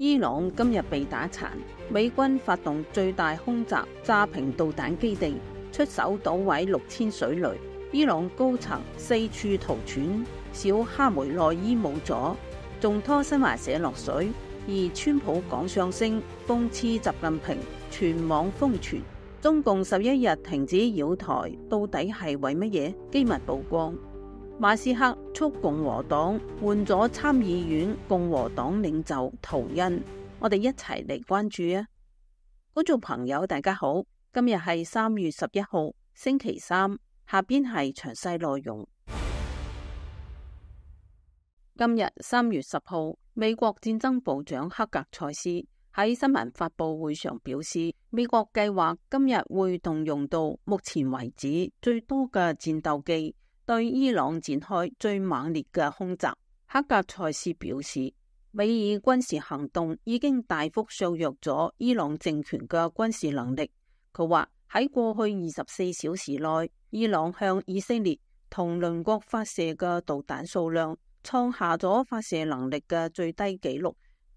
伊朗今日被打殘，美軍發動最大空襲，炸平導彈基地，出手搗毀6000水雷。伊朗高層四處圖傳，小哈梅內伊冇咗，仲拖新華社落水。而川普講相聲諷刺習近平，全網瘋傳。中共11日停止擾台，到底係為乜嘢？機密曝光。馬斯克促共和黨換咗參議院共和黨領袖圖恩，我哋一齊嚟關注啊！觀眾朋友大家好，今日係3月11號星期三，下邊係詳細內容。今日3月10號，美國戰爭部長克格塞斯喺新聞發佈會上表示，美國計劃今日會動用到目前為止最多嘅戰鬥機，對伊朗展開最猛烈嘅空襲。克格塞斯表示，美以軍事行動已經大幅削弱咗伊朗政權嘅軍事能力。佢話喺過去24小時內，伊朗向以色列同鄰國發射嘅導彈數量創下咗發射能力嘅最低紀錄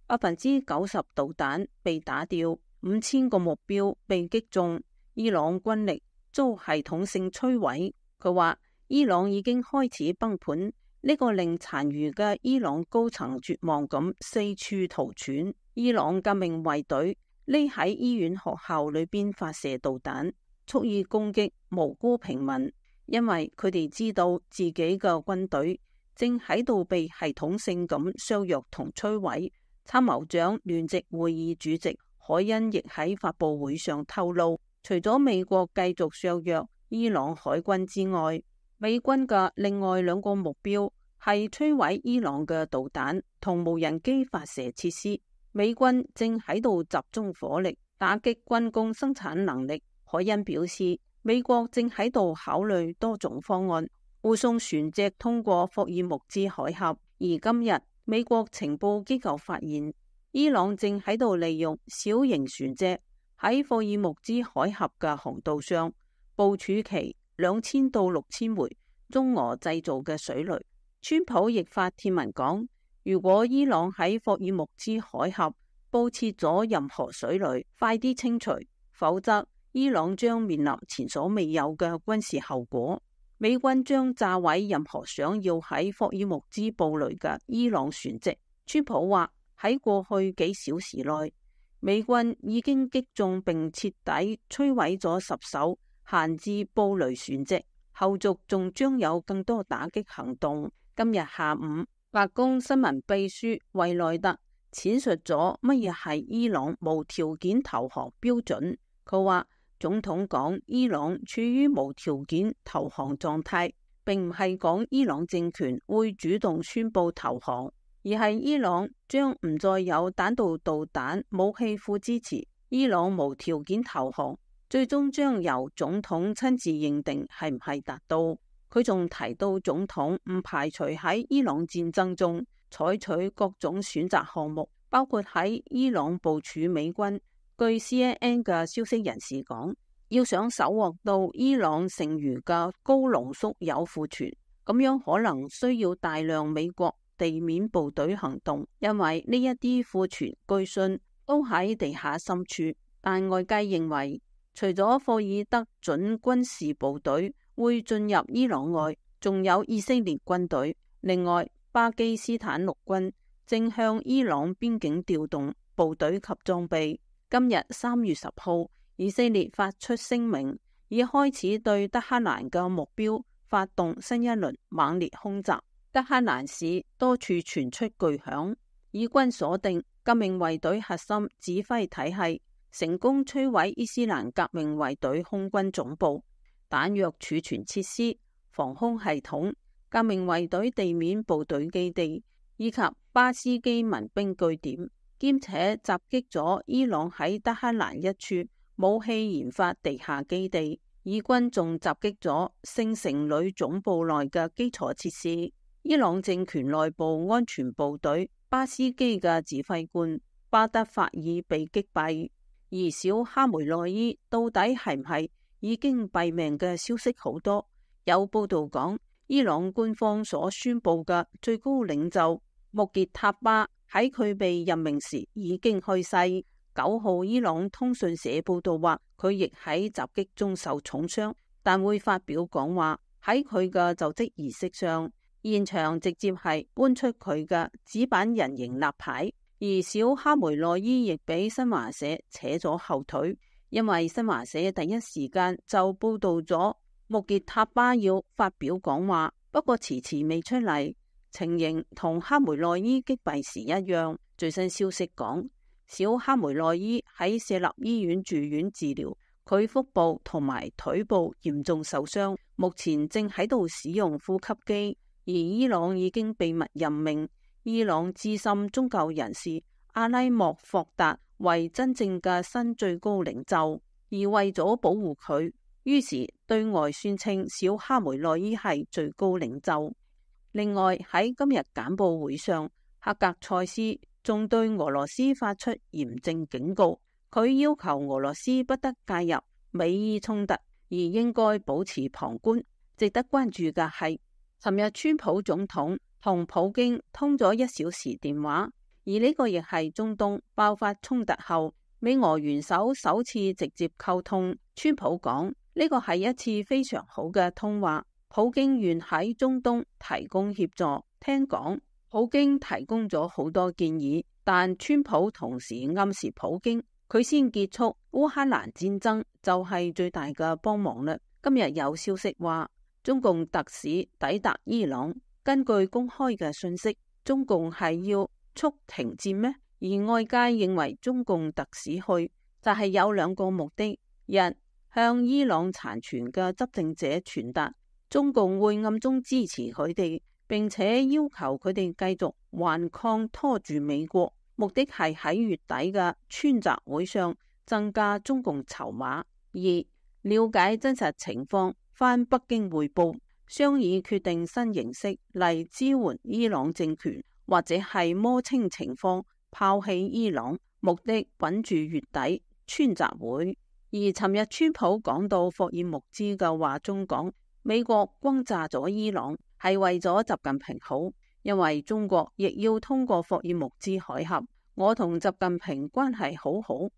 ，90%導彈被打掉，5000個目標被擊中，伊朗軍力遭系統性摧毀。佢話伊朗已經開始崩盤，呢個令殘餘嘅伊朗高層絕望咁四處逃竄。伊朗革命衛隊匿喺醫院學校裏邊發射導彈，蓄意攻擊無辜平民，因為佢哋知道自己嘅軍隊正喺度被系統性咁削弱同摧毀。參謀長聯席會議主席海恩亦喺發佈會上透露，除咗美國繼續削弱伊朗海軍之外，美軍嘅另外2個目標係摧毀伊朗嘅導彈同無人機發射設施。美軍正喺度集中火力打擊軍工生產能力。海恩表示，美國正喺度考慮多種方案護送船隻通過霍爾木茲海峽。而今日美國情報機構發現，伊朗正喺度利用小型船隻喺霍爾木茲海峽嘅航道上部署其2000到6000枚中俄製造嘅水雷。川普亦發帖文講，如果伊朗喺霍爾木茲海峽布設咗任何水雷，快啲清除，否則伊朗將面臨前所未有嘅軍事後果。美軍將炸毀任何想要喺霍爾木茲布雷嘅伊朗船隻。川普話喺過去幾小時內，美軍已經擊中並徹底摧毀咗10艘閒置布雷船隻，後續仲將有更多打擊行動。今日下午，白宮新聞秘書惠內特闡述咗乜嘢係伊朗無條件投降標準。佢話總統講伊朗處於無條件投降狀態，並唔係講伊朗政權會主動宣布投降，而係伊朗將唔再有彈道導彈武器庫支持。伊朗無條件投降最終將由總統親自認定係唔係達到。佢仲提到總統唔排除喺伊朗戰爭中採取各種選擇項目，包括喺伊朗部署美軍。據 CNN 嘅消息人士講，要想搜獲到伊朗剩餘嘅高濃縮鈾庫存，咁樣可能需要大量美國地面部隊行動，因為呢一啲庫存據信都喺地下深處。但外界認為，除咗霍爾德準軍事部隊會進入伊朗外，仲有以色列軍隊。另外，巴基斯坦陸軍正向伊朗邊境調動部隊及裝備。今日3月10號，以色列發出聲明，已開始對德黑蘭嘅目標發動新一輪猛烈空襲。德黑蘭市多處傳出巨響，以軍鎖定革命衛隊核心指揮體系，成功摧毀伊斯蘭革命衛隊空軍總部、彈藥儲存設施、防空系統、革命衛隊地面部隊基地以及巴斯基民兵據點，兼且襲擊咗伊朗喺德黑蘭一處武器研發地下基地。以軍仲襲擊咗聖城旅總部內嘅基礎設施。伊朗政權內部安全部隊巴斯基嘅指揮官巴德法爾被擊斃，而小哈梅內伊到底係唔係已經斃命嘅消息好多。有報道講，伊朗官方所宣布嘅最高領袖穆傑塔巴喺佢被任命時已經去世。9號伊朗通訊社報道話，佢亦喺襲擊中受重傷，但會發表講話。喺佢嘅就職儀式上，現場直接係搬出佢嘅紙板人形立牌，而小哈梅內伊亦俾新華社扯咗後腿，因為新華社第一時間就報道咗穆傑塔巴要發表講話，不過遲遲未出嚟，情形同哈梅內伊擊斃時一樣。最新消息講，小哈梅內伊喺舍立醫院住院治療，佢腹部同埋腿部嚴重受傷，目前正喺度使用呼吸機。而伊朗已經秘密任命伊朗資深宗教人士阿拉莫霍達為真正嘅新最高領袖，而為咗保護佢，於是對外宣稱小哈梅內伊係最高領袖。另外喺今日簡報會上，克格塞斯仲對俄羅斯發出嚴正警告，佢要求俄羅斯不得介入美伊衝突，而應該保持旁觀。值得關注嘅係，尋日川普總統同普京通咗1小時電話，而呢個亦係中東爆發衝突後美俄元首首次直接溝通。川普講，呢個係一次非常好嘅通話，普京願喺中東提供協助。聽講普京提供咗好多建議，但川普同時暗示普京佢先結束烏克蘭戰爭就係最大嘅幫忙啦。今日有消息話，中共特使抵達伊朗，根據公開嘅信息，中共係要促停戰咩？而外界認為中共特使去就係有2個目的：一，向伊朗殘存嘅執政者傳達中共會暗中支持佢哋，並且要求佢哋繼續頑抗拖住美國，目的係喺月底嘅川習會上增加中共籌碼；二，了解真實情況，返北京匯報，商議決定新形式嚟支援伊朗政權，或者係摸清情況，拋棄伊朗，目的穩住月底川習會。而尋日川普講到霍爾木茲嘅話中講，美國轟炸咗伊朗係為咗習近平好，因為中國亦要通過霍爾木茲海峽，我同習近平關係好好。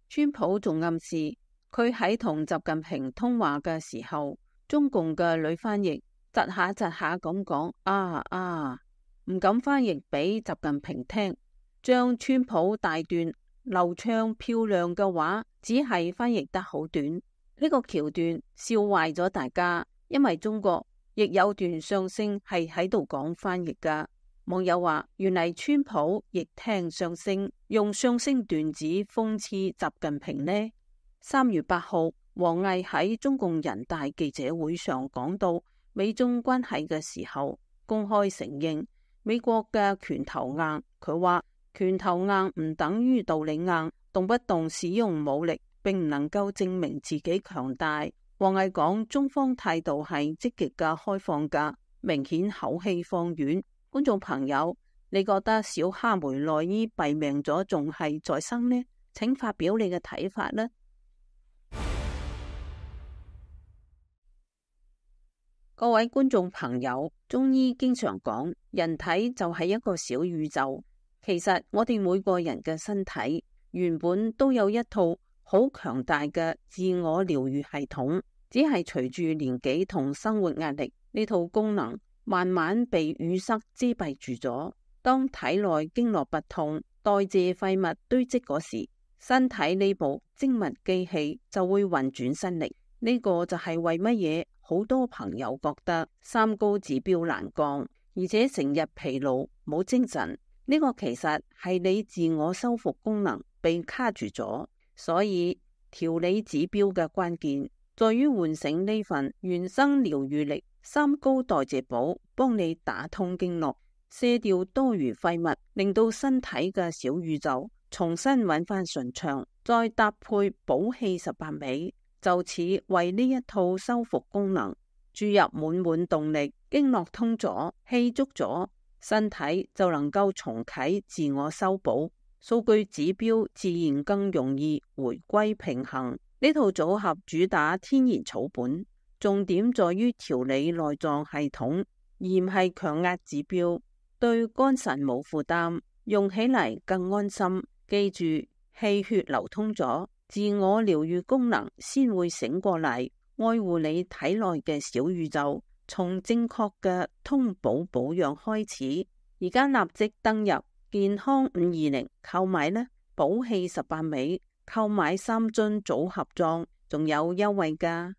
川普仲暗示佢喺同習近平通話嘅時候，中共嘅女翻譯窒下咁講唔敢翻譯俾習近平聽，將川普大段流暢漂亮嘅話只係翻譯得好短。呢個橋段笑壞咗大家，因為中國亦有段相聲係喺度講翻譯噶。網友話，原嚟川普亦聽相聲，用相聲段子諷刺習近平呢。3月8號，王毅喺中共人大記者會上講到美中關係嘅時候，公開承認美國嘅拳頭硬。佢話拳頭硬唔等於道理硬，動不動使用武力並唔能夠證明自己強大。王毅講中方態度係積極嘅、開放嘅，明顯口氣放軟。觀眾朋友，你覺得小哈梅內伊斃命咗仲係在生呢？請發表你嘅睇法啦。各位觀眾朋友，中醫經常講人體就係一個小宇宙，其實我哋每個人嘅身體原本都有一套好強大嘅自我療愈系統，只係隨住年紀同生活壓力，呢套功能慢慢被淤塞遮蔽住咗。當體內經絡不通，代謝廢物堆積嗰時，身體呢部精密機器就會運轉新力。呢個就係為乜嘢好多朋友覺得三高指標難降，而且成日疲勞冇精神。呢個其實係你自我修復功能被卡住咗。所以調理指標嘅關鍵在於喚醒呢份原生療愈力。三高代謝寶幫你打通經絡，卸掉多餘廢物，令到身體嘅小宇宙重新揾翻順暢，再搭配補氣18味，就此為呢一套修復功能注入滿滿動力。經絡通咗，氣足咗，身體就能夠重啟自我修補，數據指標自然更容易回歸平衡。呢套組合主打天然草本，重點在於調理內臟系統，而唔係強壓指標，對肝腎冇負擔。用起嚟更安心。記住，氣血流通咗，自我療愈功能先會醒過嚟，愛護你體內嘅小宇宙。從正確嘅通補保養開始，而家立即登入健康520購買呢，補氣18味，購買3樽組合裝，仲有優惠㗎。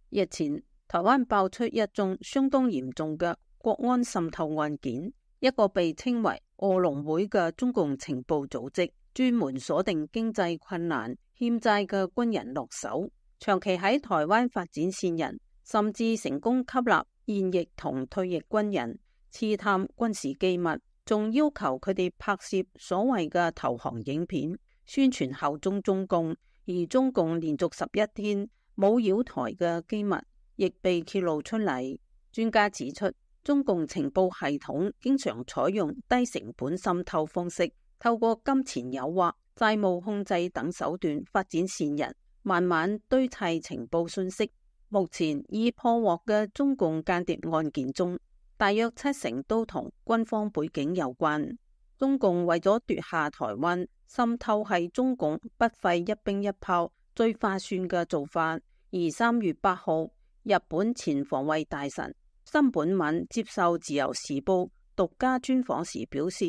日前，台灣爆出一宗相當嚴重嘅國安滲透案件，一個被稱為餓龍會嘅中共情報組織，專門鎖定經濟困難、欠債嘅軍人落手。長期喺台灣發展線人，甚至成功吸納現役同退役軍人，刺探軍事機密，仲要求佢哋拍攝所謂嘅投降影片，宣傳效忠中共。而中共連續11天冇擾台嘅機密，亦被揭露出嚟。專家指出，中共情報系統經常採用低成本滲透方式，透過金錢誘惑、債務控制等手段發展線人，慢慢堆砌情報信息。目前已破獲嘅中共間諜案件中，大約70%都同軍方背景有關。中共為咗奪下台灣，滲透係中共不費一兵一炮最划算嘅做法。而3月8號，日本前防衛大臣森本敏接受自由時報獨家專訪時表示，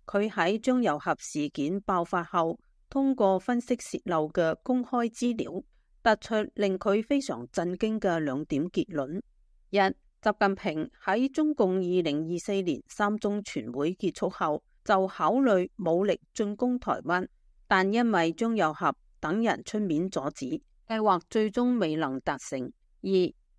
佢喺張又俠事件爆發後，通過分析洩漏嘅公開資料，得出令佢非常震驚嘅2點結論：一、習近平喺中共2024年3中全會結束後就考慮武力進攻台灣，但因為張又俠等人出面阻止，計劃最終未能達成。二、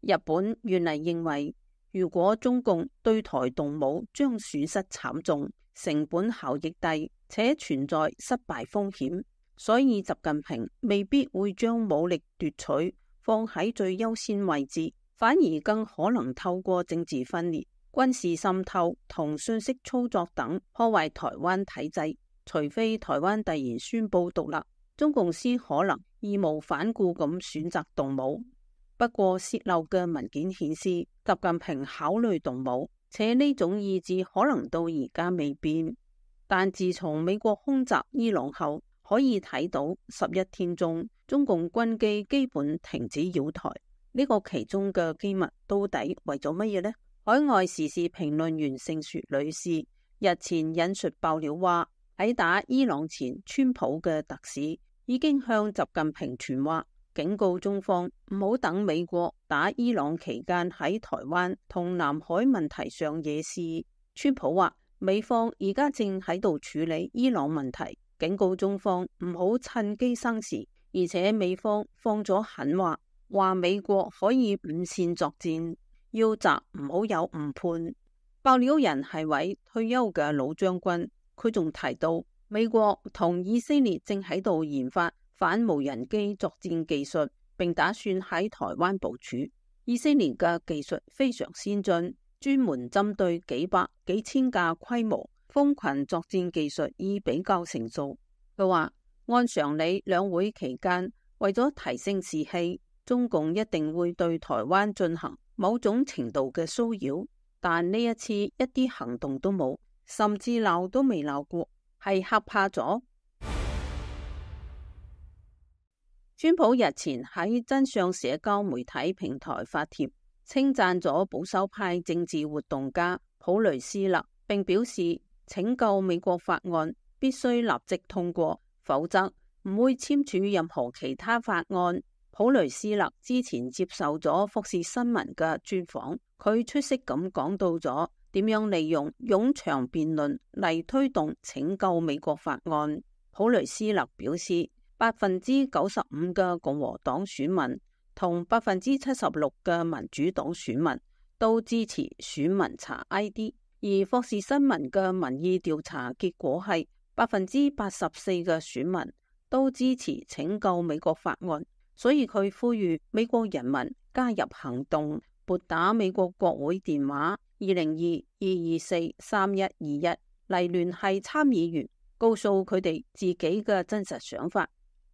日本原嚟認為，如果中共對台動武將損失慘重，成本效益低，且存在失敗風險，所以習近平未必會將武力奪取放喺最優先位置，反而更可能透過政治分裂、軍事滲透同信息操作等破壞台灣體制。除非台灣突然宣布獨立，中共先可能義無反顧咁選擇動武。不過洩漏嘅文件顯示，習近平考慮動武，且呢種意志可能到而家未變。但自從美國空襲伊朗後，可以睇到11天中，中共軍機基本停止擾台。呢個其中嘅機密到底為咗乜嘢呢？海外時事評論員盛雪女士日前引述爆料話，喺打伊朗前，川普嘅特使已經向習近平傳話，警告中方唔好等美國打伊朗期間喺台灣同南海問題上惹事。川普話，美方而家正喺度處理伊朗問題，警告中方唔好趁機生事，而且美方放咗狠話，話美國可以午線作戰，要襲唔好有誤判。爆料人係位退休嘅老將軍。佢仲提到，美國同以色列正喺度研發反無人機作戰技術，並打算喺台灣部署。以色列嘅技術非常先進，專門針對幾百幾千架規模蜂群作戰技術已比較成熟。佢話，按常理，兩會期間為咗提升士氣，中共一定會對台灣進行某種程度嘅騷擾，但呢一次一啲行動都冇。甚至鬧都未鬧過，係嚇怕咗。川普日前喺真相社交媒體平台發帖，稱讚咗保守派政治活動家普雷斯勒，並表示拯救美國法案必須立即通過，否則唔會簽署任何其他法案。普雷斯勒之前接受咗福士新聞嘅專訪，佢出色咁講到咗點樣利用冗長辯論嚟推動拯救美國法案。普雷斯勒表示，95%嘅共和黨選民同76%嘅民主黨選民都支持選民查 ID， 而福士新聞嘅民意調查結果係84%嘅選民都支持拯救美國法案。所以佢呼籲美國人民加入行動，撥打美國國會電話202-224-3121嚟聯繫參議員，告訴佢哋自己嘅真實想法。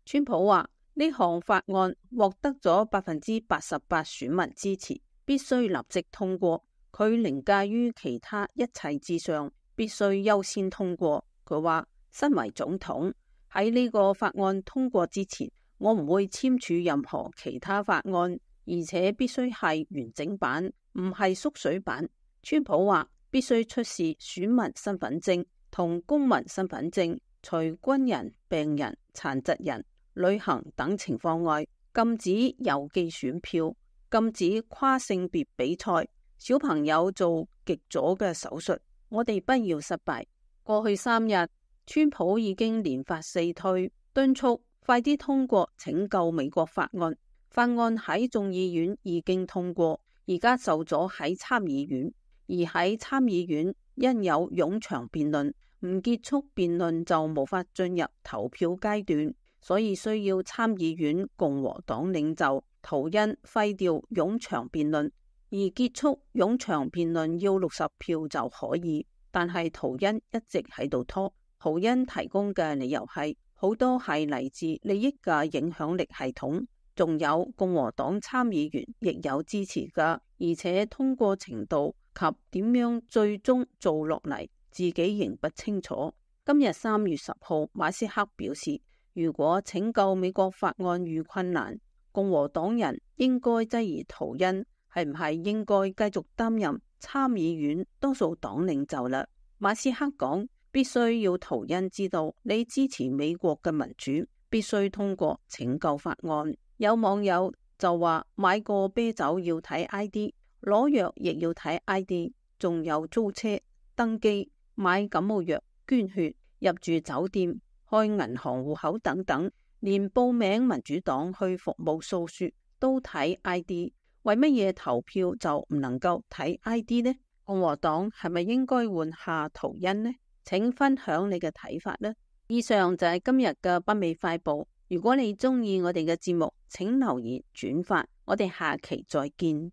川普話，呢項法案獲得咗88%選民支持，必須立即通過。佢凌駕於其他一切之上，必須優先通過。佢話，身為總統，喺呢個法案通過之前，我唔會簽署任何其他法案，而且必須係完整版，唔係縮水版。川普話必須出示選民身份證同公民身份證，除軍人、病人、殘疾人、旅行等情況外，禁止郵寄選票，禁止跨性別比賽，小朋友做極左嘅手術。我哋不要失敗。過去3日，川普已經連發4推，敦促快啲通過拯救美國法案。法案喺眾議院已經通過，而家就咗喺參議院，而喺參議院因有冗長辯論，唔結束辯論就無法進入投票階段，所以需要參議院共和黨領袖圖恩廢掉冗長辯論，而結束冗長辯論要60票就可以。但係圖恩一直喺度拖。圖恩提供嘅理由係好多係嚟自利益嘅影響力系統，仲有共和黨參議員亦有支持㗎，而且通過程度及點樣最終做落嚟，自己仍不清楚。今日3月10號，馬斯克表示，如果拯救美國法案遇困難，共和黨人應該質疑圖恩係唔係應該繼續擔任參議院多數黨領袖啦。馬斯克講，必須要圖恩知道你支持美國嘅民主，必須通過拯救法案。有網友就話，買個啤酒要睇 ID， 攞藥亦要睇 ID， 仲有租車、登機、買感冒藥、捐血、入住酒店、開銀行戶口等等，連報名民主黨去服務訴說都睇 ID。為乜嘢投票就唔能夠睇 ID 呢？共和黨係咪應該換下圖恩呢？請分享你嘅睇法呢。以上就係今日嘅北美快報。如果你中意我哋嘅節目，請留言轉發。我哋下期再見。